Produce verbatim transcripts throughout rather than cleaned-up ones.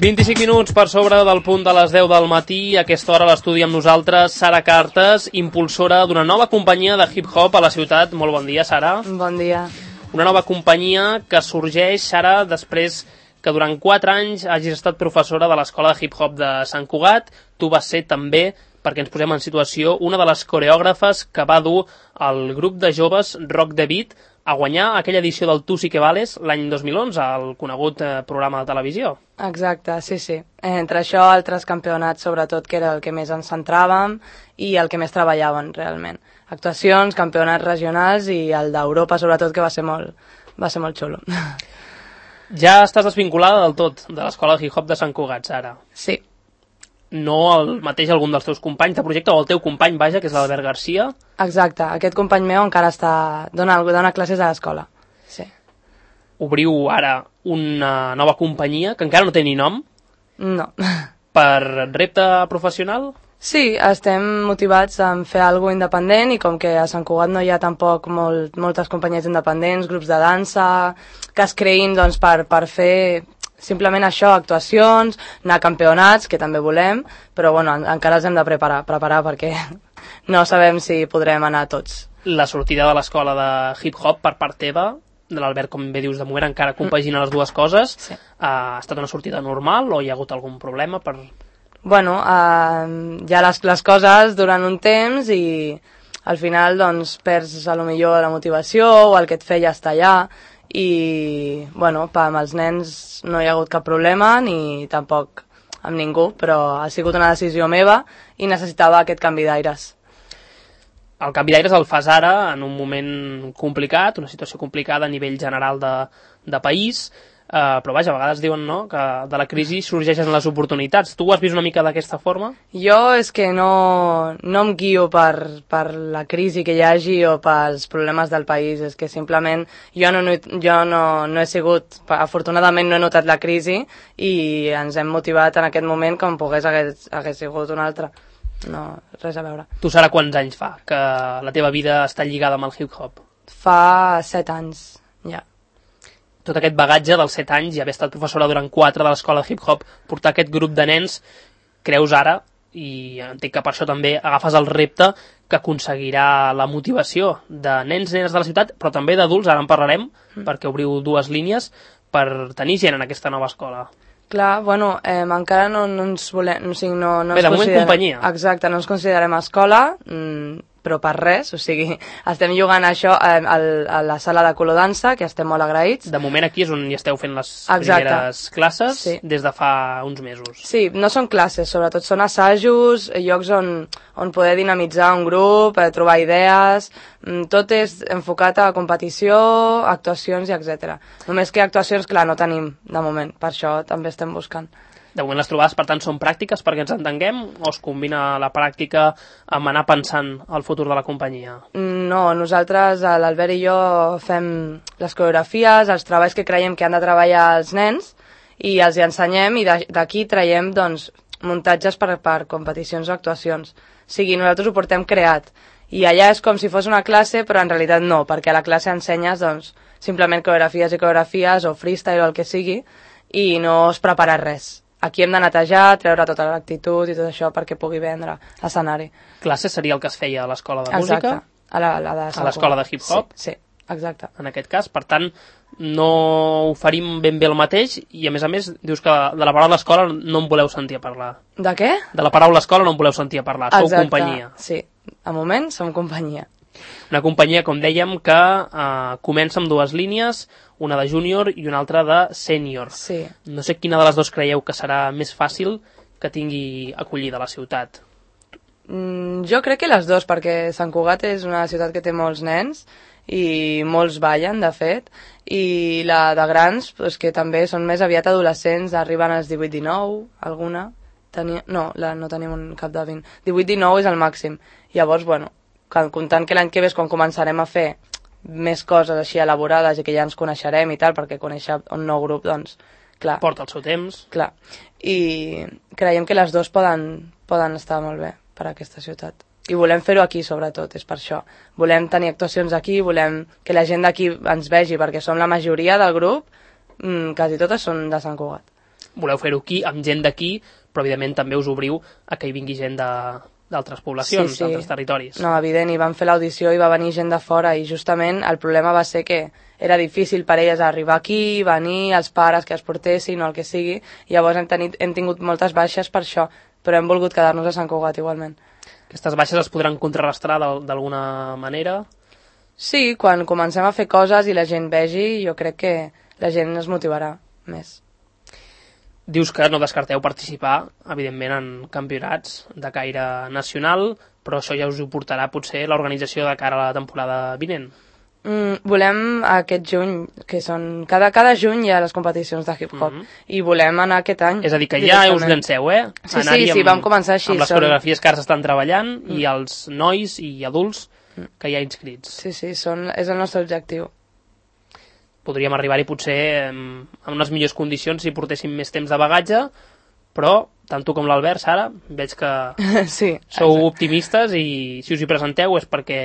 vint-i-cinc minuts per sobre del punt de les deu del matí. A aquesta hora a l'estudi amb nosaltres Sara Cartes, impulsora d'una nova companyia de hip-hop a la ciutat. Molt bon dia, Sara. Bon dia. Una nova companyia que sorgeix, Sara, després que durant quatre anys hagis estat professora de l'Escola de Hip-Hop de Sant Cugat. Tu vas ser també, perquè ens posem en situació, una de les coreògrafes que va dur el grup de joves Rock the Beat a guanyar aquella edició del Tu sí que vales l'any dos mil onze, el conegut eh, programa de televisió. Exacte, sí, sí. Entre això, altres campionats, sobretot, que era el que més ens centràvem i el que més treballàvem, realment. Actuacions, campionats regionals i el d'Europa, sobretot, que va ser molt, va ser molt xulo. Ja estàs desvinculada del tot de l'Escola de Hip-Hop de Sant Cugat, Sara. Sí. No el mateix algun dels teus companys de projecte, o el teu company, vaja, que és l'Albert Garcia. Exacte, aquest company meu encara està dona, dona classes a l'escola. Sí. Obriu ara una nova companyia, que encara no té ni nom. No. Per repte professional? Sí, estem motivats en fer alguna cosa independent i com que a Sant Cugat no hi ha tampoc molt, moltes companyies independents, grups de dansa, que es creïn doncs, per, per fer simplement això, actuacions, anar a campionats, que també volem, però bueno, encara els hem de preparar, preparar perquè no sabem si podrem anar tots. La sortida de l'escola de hip-hop per part teva, de l'Albert, com bé dius, de moment encara compagina les dues coses, sí. Ha estat una sortida normal o hi ha hagut algun problema per... Bueno, uh, ja les, les coses duren un temps i al final doncs perds a lo millor la motivació o el que et feia estar allà i bueno, pa, amb els nens no hi ha hagut cap problema ni tampoc amb ningú, però ha sigut una decisió meva i necessitava aquest canvi d'aires. El canvi d'aires el fas ara en un moment complicat, una situació complicada a nivell general de, de país. Uh, però vaja, a vegades diuen no, que de la crisi sorgeixen les oportunitats. Tu ho has vist una mica d'aquesta forma? Jo és que no, no em guio per, per la crisi que hi hagi o pels problemes del país, és que simplement jo no, jo no, no he sigut, afortunadament no he notat la crisi i ens hem motivat en aquest moment com pogués hagués, hagués sigut un altre. No, res a veure. Tu, Sara, quants anys fa que la teva vida està lligada amb el hip-hop? Fa set anys, ja. Tot aquest bagatge dels set anys i haver estat professora durant quatre de l'escola de hip-hop, portar aquest grup de nens, creus ara, i entenc que per això també agafes el repte que aconseguirà la motivació de nens, nenes de la ciutat, però també d'adults, ara en parlarem, mm. perquè obriu dues línies per tenir gent en aquesta nova escola. Clar, bueno, eh, encara no, no ens volem... O sigui, no, no Bé, de moment companyia. Exacte, no ens considerem escola, mmm, però per res, o sigui, estem jugant això a, a, a la sala de colodança, que estem molt agraïts. De moment aquí és on hi esteu fent les Exacte. Primeres classes, sí. Des de fa uns mesos. Sí, no són classes, sobretot són assajos, llocs on, on poder dinamitzar un grup, eh, trobar idees, tot és enfocat a competició, actuacions i etcètera. Només que actuacions, clar, no tenim de moment, per això també estem buscant. De moment les trobades, per tant, són pràctiques perquè ens entenguem o es combina la pràctica amb anar pensant el futur de la companyia? No, nosaltres, l'Albert i jo, fem les coreografies, els treballs que creiem que han de treballar els nens i els hi ensenyem i d'aquí traiem doncs, muntatges per, per competicions o actuacions. O sigui, nosaltres ho portem creat i allà és com si fos una classe, però en realitat no, perquè a la classe ensenyes doncs, simplement coreografies i coreografies o freestyle o el que sigui i no es prepara res. Aquí hem de netejar, treure tota l'actitud i tot això perquè pugui vendre l'escenari. Classe seria el que es feia a l'escola de exacte. Música? A la, la de a l'escola de hip-hop? Sí, sí, exacte. En aquest cas, per tant, no oferim ben bé el mateix i a més a més dius que de la paraula escola no en voleu sentir a parlar. De què? De la paraula escola no en voleu sentir a parlar, exacte. Sou companyia. Sí, a moment som companyia. Una companyia, com dèiem, que eh, comença amb dues línies, una de júnior i una altra de sènior. Sí. No sé quina de les dues creieu que serà més fàcil que tingui acollida a la ciutat. Mm, jo crec que les dues, perquè Sant Cugat és una ciutat que té molts nens i molts ballen, de fet, i la de grans, pues, que també són més aviat adolescents, arriben als divuit dinou, alguna. Tenia... No, la, no tenim un cap de vint. divuit dinou és el màxim. Llavors, bueno, comptant que l'any que ve és quan començarem a fer més coses així elaborades i que ja ens coneixerem i tal, perquè conèixer un nou grup, doncs, clar. Porta el seu temps. Clar. I creiem que les dues poden, poden estar molt bé per a aquesta ciutat. I volem fer-ho aquí, sobretot, és per això. Volem tenir actuacions aquí, volem que la gent d'aquí ens vegi, perquè som la majoria del grup, mmm, quasi totes són de Sant Cugat. voleu fer-ho aquí, amb gent d'aquí, però evidentment també us obriu a que hi vingui gent de d'altres poblacions, sí, sí. d'altres territoris. No, evident, i van fer l'audició i va venir gent de fora i justament el problema va ser que era difícil per elles arribar aquí, venir, els pares que es portessin o el que sigui, i llavors hem, tenit, hem tingut moltes baixes per això, però hem volgut quedar-nos a Sant Cugat igualment. Aquestes baixes es podran contrarrestar d'alguna manera? Sí, quan comencem a fer coses i la gent vegi, jo crec que la gent es motivarà més. Dius que no descarteu participar, evidentment, en campionats de caire nacional, però això ja us ho portarà potser l'organització de cara a la temporada vinent. Mm, volem aquest juny, que són... Cada, cada juny hi ha les competicions de hip-hop, mm -hmm. i volem anar aquest any. És a dir, que ja us llanceu, eh? Sí, sí, sí, vam començar així. Amb les coreografies que ara s'estan treballant, mm. i els nois i adults que hi ha inscrits. Sí, sí, són, és el nostre objectiu. Podríem arribar-hi potser en unes millors condicions si portéssim més temps de bagatge, però tant tu com l'Albert, Sara, veig que sí, sou exacte. optimistes i si us hi presenteu és perquè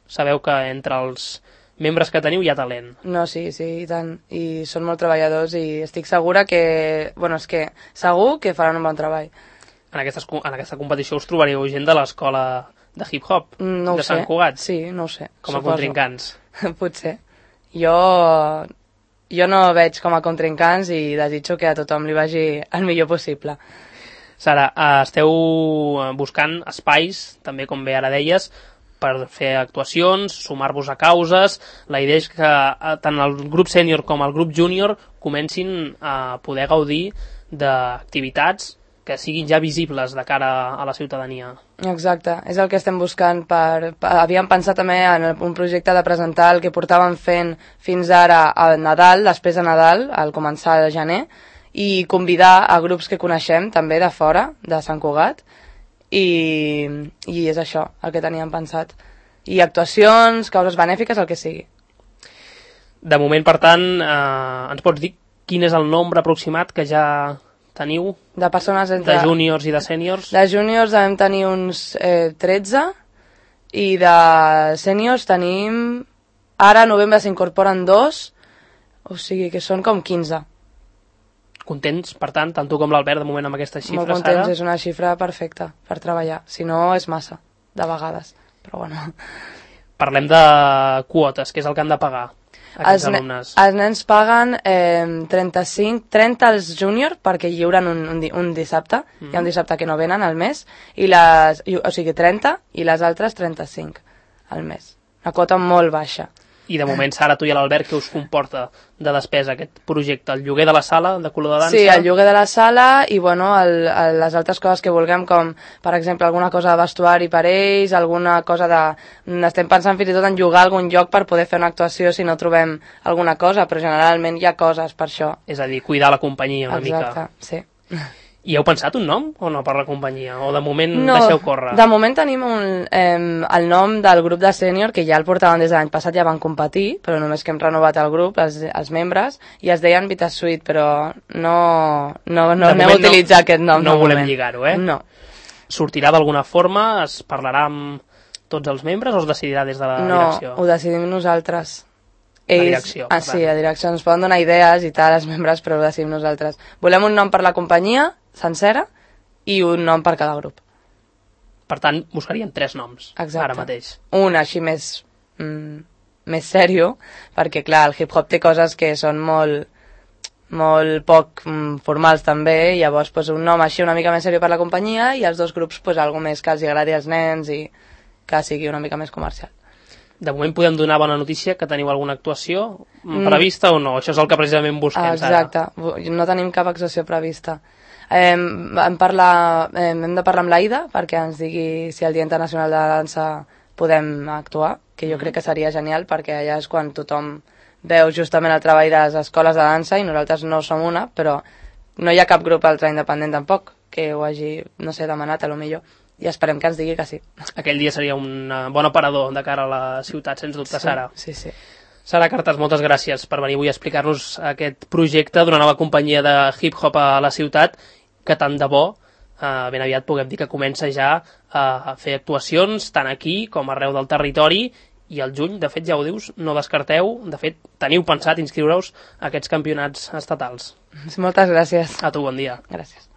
sabeu que entre els membres que teniu hi ha talent. No, sí, sí, i tant. I són molt treballadors i estic segura que... Bueno, és que segur que faran un bon treball. En, aquestes, en aquesta competició us trobareu gent de l'escola de hip-hop, no de Sant Cugat? Sí, no ho sé. Com a suposo. Contrincants? Potser. Jo, jo no veig com a contrincants i desitjo que a tothom li vagi el millor possible. Sara, esteu buscant espais, també com bé ara deies, per fer actuacions, sumar-vos a causes. La idea és que tant el grup sènior com el grup júnior comencin a poder gaudir d'activitats que siguin ja visibles de cara a la ciutadania. Exacte, és el que estem buscant. Per, per, havíem pensat també en un projecte de presentar el que portàvem fent fins ara a Nadal, després de Nadal, al començar de gener, i convidar a grups que coneixem també de fora, de Sant Cugat, i, i és això el que teníem pensat. I actuacions, causes benèfiques, el que sigui. De moment, per tant, eh, ens pots dir quin és el nombre aproximat que ja teniu de persones entre... de júniors i de sèniors? De júniors devem tenir uns eh, tretze i de sèniors tenim... Ara a novembre s'incorporen dos, o sigui que són com quinze. Contents, per tant, tant tu com l'Albert, de moment amb aquesta xifra, Molt contents, Sara? És una xifra perfecta per treballar. Si no, és massa, de vegades. Però bueno. Parlem de quotes, que és el que han de pagar aquests els alumnes. Els nens paguen eh, trenta-cinc, trenta als júnior perquè lliuren un, un, un dissabte, mm. hi ha un dissabte que no venen al mes, i les, o sigui trenta i les altres trenta-cinc al mes. Una quota molt baixa. I de moment, Sara, tu i l'Albert, què us comporta de despesa aquest projecte? El lloguer de la sala de color de dansa? Sí, el lloguer de la sala i bueno, el, el, les altres coses que vulguem, com per exemple alguna cosa de vestuari per ells, alguna cosa de... Estem pensant fins i tot en llogar algun lloc per poder fer una actuació si no trobem alguna cosa, però generalment hi ha coses per això. És a dir, cuidar la companyia una Exacte, mica. Sí. I heu pensat un nom o no per la companyia? O de moment no, deixeu córrer? De moment tenim un, eh, el nom del grup de sènior, que ja el portaven des de l'any passat, ja van competir, però només que hem renovat el grup, els, els membres, i es deien Vitasuite, però no, no, no anem a utilitzar no, aquest nom. No volem lligar-ho, eh? No. Sortirà d'alguna forma? Es parlarà amb tots els membres o es decidirà des de la no, direcció? No, ho decidim nosaltres. Ells, la direcció. Ah, sí, la direcció. Ens poden donar idees i tal, els membres, però ho decidim nosaltres. Volem un nom per la companyia sencera i un nom per cada grup. Per tant, buscaríem tres noms. Exacte. Ara mateix. Un així més, mm, més sèrio, perquè clar, el hip-hop té coses que són molt, molt poc mm, formals també, i llavors pues, un nom així una mica més sèrio per la companyia i els dos grups pues, algo més que els agradi als nens i que sigui una mica més comercial. De moment podem donar bona notícia que teniu alguna actuació prevista mm. o no? Això és el que precisament busquem. Exacte, ara. No tenim cap actuació prevista. Eh, hem, parlar, eh, hem de parlar amb l'Aida perquè ens digui si el Dia Internacional de la Dansa podem actuar, que jo mm. crec que seria genial perquè allà és quan tothom veu justament el treball de les escoles de dansa i nosaltres no som una, però no hi ha cap grup altre independent tampoc que ho hagi, no sé, demanat a lo millor. I esperem que ens digui que sí. Aquell dia seria un bon aparador de cara a la ciutat, sens dubte, sí, Sara. Sí, sí. Sara Cartes, moltes gràcies per venir avui a explicar-nos aquest projecte d'una nova companyia de hip-hop a la ciutat, que tant de bo, eh, ben aviat puguem dir que comença ja a fer actuacions, tant aquí com arreu del territori, i al juny, de fet, ja ho dius, no descarteu, de fet, teniu pensat inscriure-us a aquests campionats estatals. Moltes gràcies. A tu, bon dia. Gràcies.